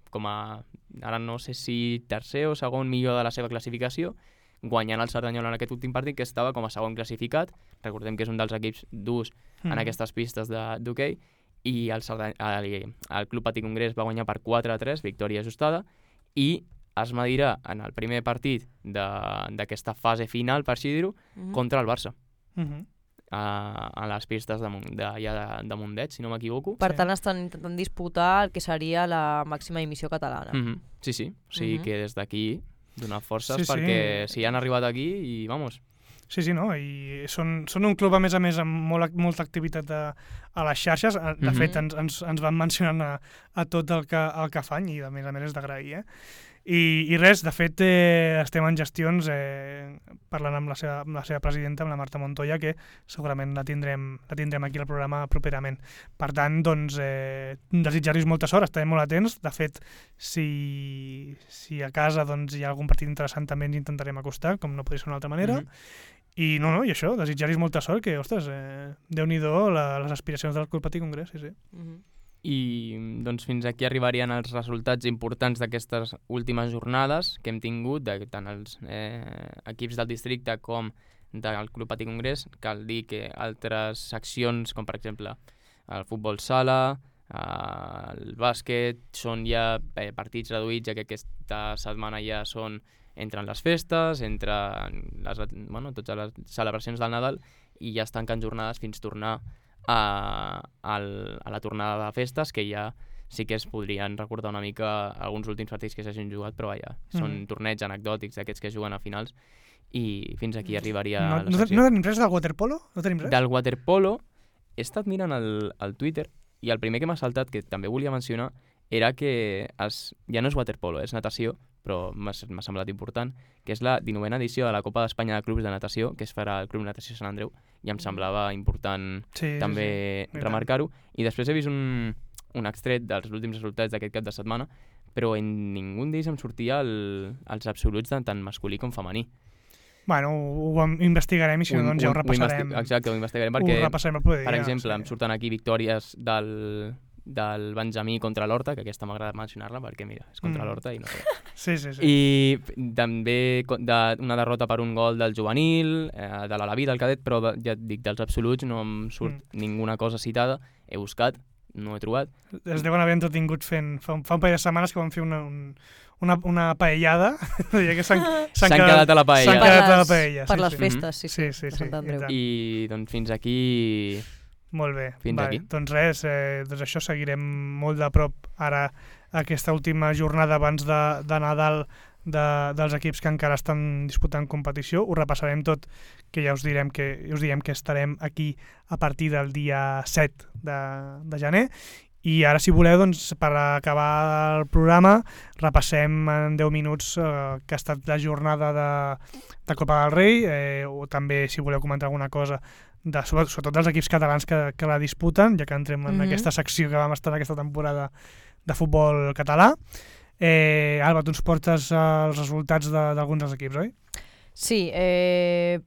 com a, ara no sé si tercer o segon millor de la seva classificació, guanyant el Cerdanyola en aquest últim partit, que estava com a segon classificat. Recordem que és un dels equips durs en aquestes pistes d'hoquei, i el Club Patí Congrés va guanyar per 4-3, victòria ajustada, i es medirà en el primer partit d'aquesta fase final, per així dir-ho, contra el Barça, a les pistes de Mundet, si no m'equivoco. Per tant, estan intentant disputar el que seria la màxima emissió catalana. Sí, o sigui que des d'aquí donar forces perquè si han arribat aquí i vamos... Sí, no, i són un club a més amb molta activitat a les xarxes. De fet, ens van mencionant a tot el que fan, i a més és d'agrair. I res, de fet, estem en gestions parlant amb la seva presidenta, amb la Marta Montoya, que segurament la tindrem aquí al programa properament. Per tant, doncs, desitjar-los molta sort, estarem molt atents. De fet, si a casa doncs, hi ha algun partit interessant, també ens intentarem acostar, com no podria ser d'una altra manera. I i això, desitjar-los molta sort, que, ostres, Déu-n'hi-do les aspiracions del Club Patí Congrés, sí. I doncs fins aquí arribarien els resultats importants d'aquestes últimes jornades que hem tingut, tant els equips del districte com del Club Patí Congrés. Cal dir que altres seccions, com per exemple el futbol sala, el bàsquet, són ja partits reduïts, ja que aquesta setmana ja entren les festes, entren totes les celebracions del Nadal, i ja es tanquen jornades fins tornar a la tornada de festes, que ja sí que es podrien recordar una mica alguns últims partits que s'hagin jugat, però vaja, són torneigs anecdòtics d'aquests que juguen a finals, i fins aquí arribaria la secció. No tenim res del waterpolo? No tenim res? Del waterpolo he estat mirant el Twitter i el primer que m'ha saltat, que també volia mencionar, era que ja no és waterpolo, és natació, però m'ha semblat important, que és la 19a edició de la Copa d'Espanya de Clubs de Natació, que es farà al Club Natació Sant Andreu, i em semblava important també remarcar-ho. I després he vist un extret dels últims resultats d'aquest cap de setmana, però en ningú d'ells em sortia els absoluts de tant masculí com femení. Bueno, ho investigarem i si no, doncs ja ho repassarem. Exacte, ho investigarem perquè, ho repassarem el proper dia, per exemple, em surten aquí victòries del Benjamí contra l'Horta, que aquesta m'agrada mencionar-la perquè, mira, és contra l'Horta i no sé. Sí. I també una derrota per un gol del juvenil, de l'Alaví, del cadet, però ja et dic, dels absoluts no em surt ninguna cosa citada. He buscat, no he trobat. Es deuen haver entretingut fent... Fa un parell de setmanes que van fer una paellada. Que s'han quedat a la paella. S'han quedat a la paella. Per les festes, sí. Sí. I doncs fins aquí... Molt bé. Fins aquí. Doncs res, doncs això seguirem molt de prop ara aquesta última jornada abans de Nadal dels equips que encara estan disputant competició. Ho repassarem tot, que ja us diem que estarem aquí a partir del dia 7 de gener. I ara, si voleu, doncs, per acabar el programa, repassem en 10 minuts que ha estat la jornada de Copa del Rei, o també, si voleu comentar alguna cosa, sobretot dels equips catalans que la disputen, ja que entrem en aquesta secció que vam estar aquesta temporada de futbol català. Alba, tu ens portes els resultats d'alguns dels equips, oi? Sí,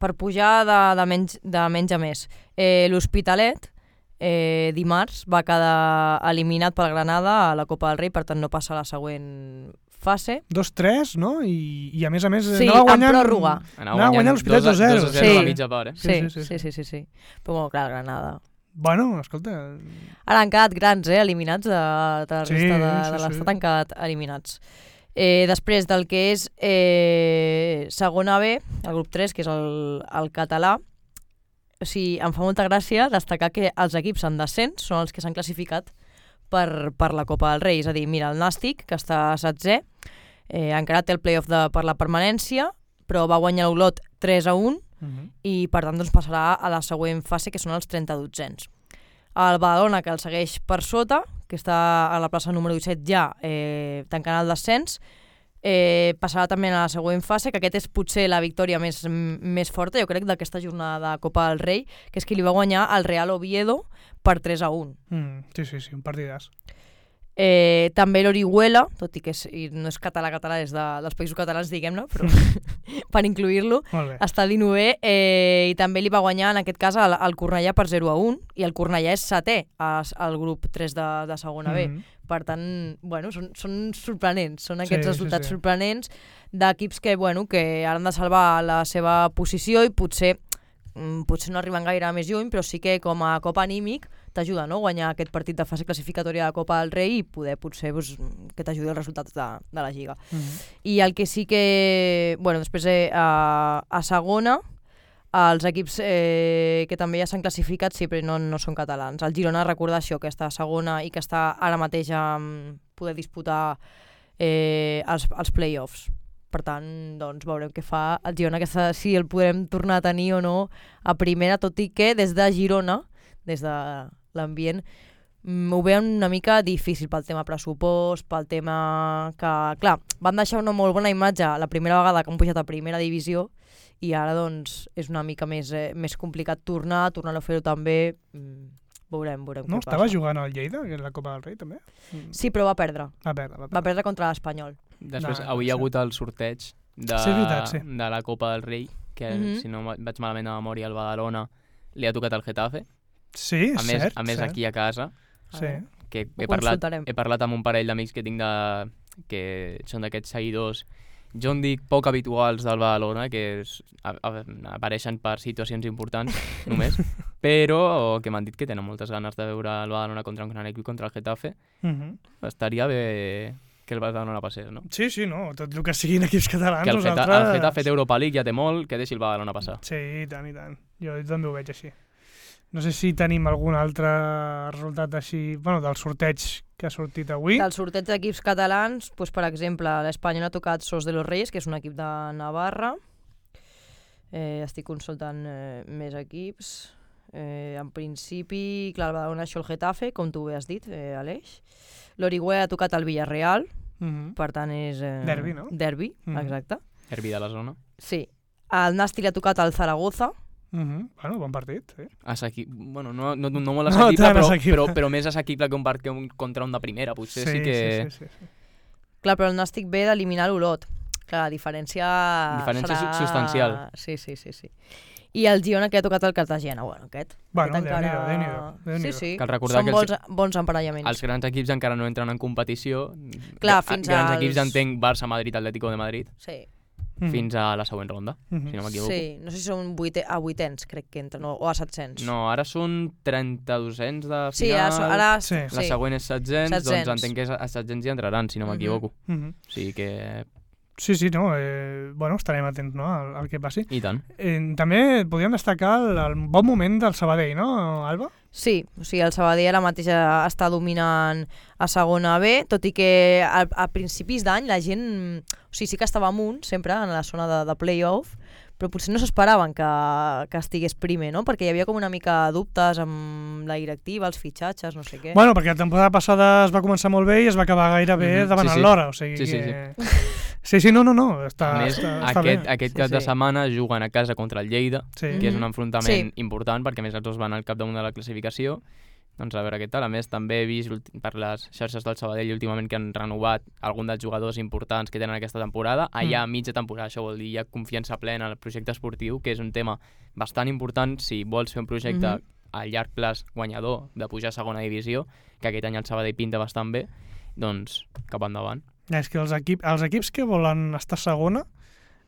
per pujar de menys a més. L'Hospitalet, dimarts, va quedar eliminat pel Granada a la Copa del Rei, per tant no passa a la següent fase. 2-3, no? I a més, sí, anava guanyant, en pròrroga. Anava guanyant l'Hospitalet 2-0. 2-0 a la mitja part, Sí. Però, bueno, clar, Granada... Bueno, escolta... Ara han quedat grans, eliminats de la resta de l'estat, han quedat eliminats. Després del que és segona B, el grup 3, que és el català, o sigui, em fa molta gràcia destacar que els equips en descens són els que s'han classificat per la Copa del Rei. És a dir, mira, el Nàstic, que està 7è, encara té el play-off per la permanència, però va guanyar l'Olot 3-1, i per tant doncs, passarà a la següent fase, que són els 32ens. El Badalona, que el segueix per sota, que està a la plaça número 17 ja, tancant el descens, passarà també a la següent fase, que aquest és potser la victòria més forta, jo crec, d'aquesta jornada de Copa del Rei, que és que li va guanyar el Real Oviedo per 3-1. Sí, un partidàs. També l'Orihuela, tot i que no és català, és dels països catalans, diguem-ne, però per incluir-lo, està a l'9è, i també li va guanyar, en aquest cas, el Cornellà per 0-1, i el Cornellà és 7è al grup 3 de segona B. Per tant, bueno, són sorprenents, són aquests resultats sorprenents d'equips que ara han de salvar la seva posició i potser no arriben gaire més lluny, però sí que com a cop anímic t'ajuda, no?, guanyar aquest partit de fase classificatòria de Copa del Rei i poder potser que t'ajudi els resultats de la Lliga. I el que sí que... després a segona, els equips que també ja s'han classificat sí, però no són catalans. El Girona, recordar això, que està a segona i que està ara mateix a poder disputar els play-offs. Per tant, doncs, veurem què fa el Girona, si el podrem tornar a tenir o no a primera, tot i que des de Girona, des de l'ambient, ho veuen una mica difícil pel tema pressupost, pel tema que, clar, van deixar una molt bona imatge la primera vegada que han pujat a primera divisió i ara, doncs, és una mica més complicat tornar-ho a fer-ho també. Veurem què passa. No, estava jugant al Lleida, que és la Copa del Rei, també? Sí, però va perdre. Va perdre contra l'Espanyol. Després, avui hi ha hagut el sorteig de la Copa del Rei, que si no vaig malament a memòria, el Badalona li ha tocat el Getafe. Sí, cert. A més, aquí a casa, que he parlat amb un parell d'amics que tinc que són d'aquests seguidors, jo en dic poc habituals del Badalona, que apareixen per situacions importants només, però que m'han dit que tenen moltes ganes de veure el Badalona contra un gran equip, contra el Getafe. Estaria bé que el Badalona passés, no? Sí, no, tot el que siguin equips catalans, que el Getafe d'Europa League ja té molt, que deixi el Badalona passar. Sí, i tant. Jo també ho veig així. No sé si tenim algun altre resultat així, del sorteig que ha sortit avui. Del sorteig d'equips catalans, per exemple, l'Espanyol ha tocat Sos de los Reyes, que és un equip de Navarra. Estic consultant més equips. En principi, clar, va donar això el Getafe, com tu bé has dit, Aleix. L'Orihuela ha tocat el Villarreal, per tant és... Derbi, no? Derbi, exacte. Derbi de la zona. Sí. El Nàstic ha tocat el Zaragoza. Bueno, bon partit, sí. Bueno, no molt assequible, però més assequible que un partit contra un de primera, potser sí que... Sí. Clar, però el Nàstic ve d'eliminar l'Olot. Clar, la diferència serà... substancial. Sí. I el Girona que ha tocat el Cartagena, bueno, aquest. Bueno, Déu-n'hi-do. Sí. Cal recordar són bons emparellaments. Els grans equips encara no entren en competició. Clar, fins grans equips entenc Barça, Madrid, Atlético de Madrid. Sí. Fins a la següent ronda, si no m'equivoco. Sí, no sé si són a vuitens, crec que entren, o a 700. No, ara són 32ens de final. Sí, ara... La següent és 700, doncs entenc que a 700 hi entraran, si no m'equivoco. O sigui que... Sí, no, bueno, estarem atents, no, al que passi. I tant. També podríem destacar el bon moment del Sabadell, no, Alba? Sí, o sigui, el Sabadell ara mateix està dominant a segona B, tot i que a principis d'any la gent, o sigui, sí que estava amunt, sempre en la zona de play-off, però potser no s'esperaven que estigués primer, no? Perquè hi havia com una mica dubtes amb la directiva, els fitxatges, no sé què. Bueno, perquè la temporada passada es va començar molt bé i es va acabar gairebé davant l'hora, o sigui que... Sí, no, està bé. Aquest cap de setmana juguen a casa contra el Lleida, que és un enfrontament important, perquè més els dos van al capdamunt de la classificació. Doncs a veure què tal. A més, també he vist per les xarxes del Sabadell últimament que han renovat algun dels jugadors importants que tenen aquesta temporada. Allà a mitja temporada, això vol dir, hi ha confiança plena en el projecte esportiu, que és un tema bastant important si vols fer un projecte a llarg plaç guanyador de pujar a segona divisió, que aquest any el Sabadell pinta bastant bé, doncs cap endavant. És que els equips que volen estar a segona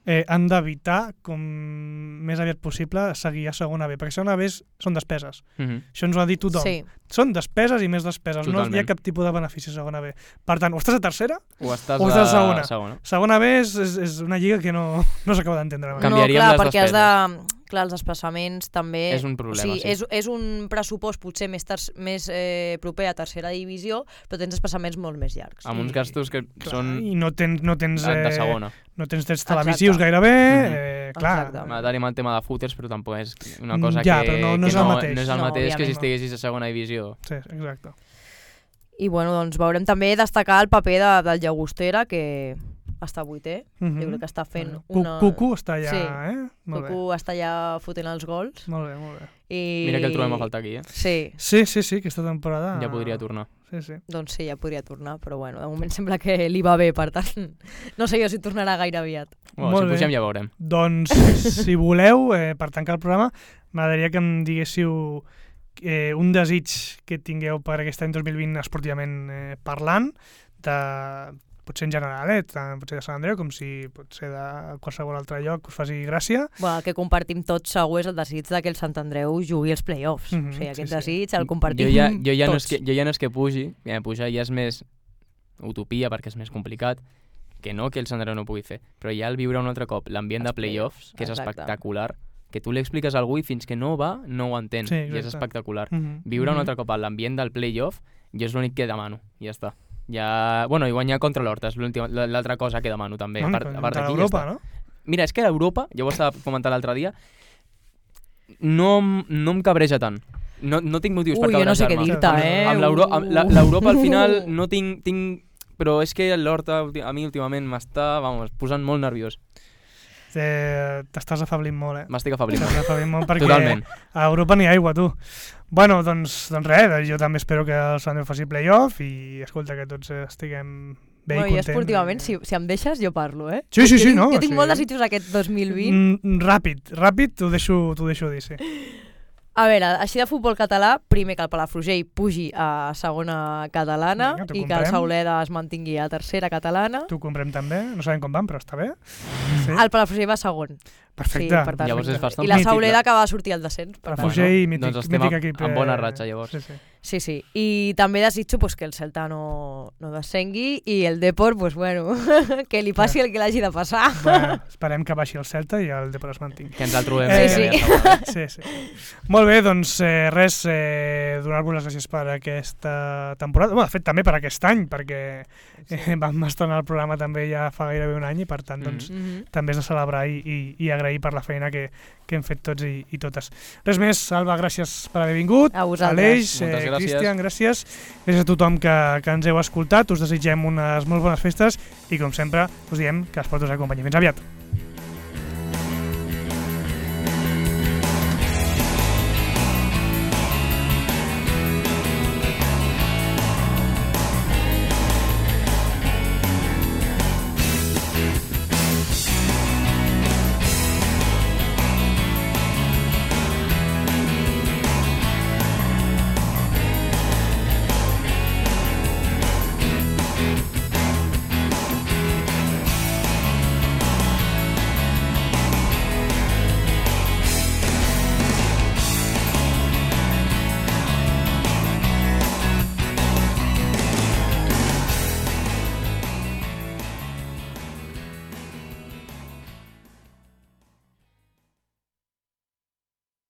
han d'evitar, com més aviat possible, seguir a segona B, perquè segona B són despeses. Això ens ho ha dit tothom. Sí. Són despeses i més despeses. Totalment. No hi ha cap tipus de benefici a segona B. Per tant, o estàs a tercera o estàs a segona. Segona B és una lliga que no s'acaba d'entendre. Canviaríem clar, les perquè despeses. Clar, els desplaçaments també... És un problema, sí. És un pressupost potser més proper a tercera divisió, però tens desplaçaments molt més llargs. Amb uns gastos que són... I no tens de segona. No tens drets televisius gairebé, clar. Tenim el tema de footers, però tampoc és una cosa però no és el mateix. No és el mateix que si estiguessis a segona divisió. Sí, exacte. I bueno, doncs veurem també destacar el paper del Llagostera, que està vuitè. Jo crec que està fent una... Cucu està allà, Cucu està allà fotent els gols. Molt bé. Mira que el trobem a faltar aquí, Sí, aquesta temporada... Ja podria tornar. Sí. Doncs sí, ja podria tornar, però bueno, de moment sembla que li va bé, per tant, no sé jo si tornarà gaire aviat. Si pugem ja veurem. Doncs, si voleu, per tancar el programa, m'agradaria que em diguéssiu un desig que tingueu per aquest any 2020 esportivament parlant, potser en general, potser de Sant Andreu, com si pot ser de qualsevol altre lloc us faci gràcia. Bueno, el que compartim tots segur és el desig que el Sant Andreu jugui els play-offs. O sigui, aquest desig el compartim tots. Jo ja no és que pugi, pujar ja és més utopia perquè és més complicat, que no que el Sant Andreu no pugui fer, però ja el viure un altre cop l'ambient de play-offs, que és espectacular, que tu li expliques a algú i fins que no va, no ho entén, i és espectacular. Viure un altre cop a l'ambient del play-off, jo és l'únic que demano, i ja està. I guanyar contra l'Horta és l'altra cosa que demano també. Contra l'Europa, no? Mira, és que l'Europa, ja ho estava comentant l'altre dia, no em cabreja tant. No tinc motius per cabrejar-me. Jo no sé què dir-te, Amb l'Europa al final no tinc... Però és que l'Horta a mi últimament m'està posant molt nerviós. T'estàs afablint molt, M'estic afablint molt. Perquè totalment. A Europa n'hi ha aigua, tu. Bueno, doncs res, jo també espero que el Sant Andreu faci play-off i escolta, que tots estiguem bé i contents. Jo esportivament, si em deixes, jo parlo, Sí, no. Jo tinc molt desitjos aquest 2020. Ràpid, t'ho deixo dir, sí. A veure, així de futbol català, primer que el Palafrugell pugi a segona catalana i que el Sauleda es mantingui a tercera catalana. T'ho comprem també, no sabem com van, però està bé. Sí. El Palafrugell va segon. Perfecte. Sí, llavors és bastant i la Sauleda que va sortir al descens. Palafrugell, doncs estem en bona ratxa, llavors. Sí. I també desitjo que el Celta no descengui i el Depor, que li passi el que l'hagi de passar. Esperem que baixi el Celta i el Depor es mantingui. Que ens el trobem. Sí. Molt bé, doncs res, donar-vos les gràcies per aquesta temporada. De fet, també per aquest any, perquè vam estrenar el programa també ja fa gairebé un any i per tant, també és de celebrar i agrair agrair per la feina que hem fet tots i totes. Res més, Alba, gràcies per haver vingut. A vosaltres. Aleix, Moltes gràcies. Cristian, gràcies. Gràcies a tothom que ens heu escoltat. Us desitgem unes molt bones festes i, com sempre, us diem que els portos acompanyi. Fins aviat.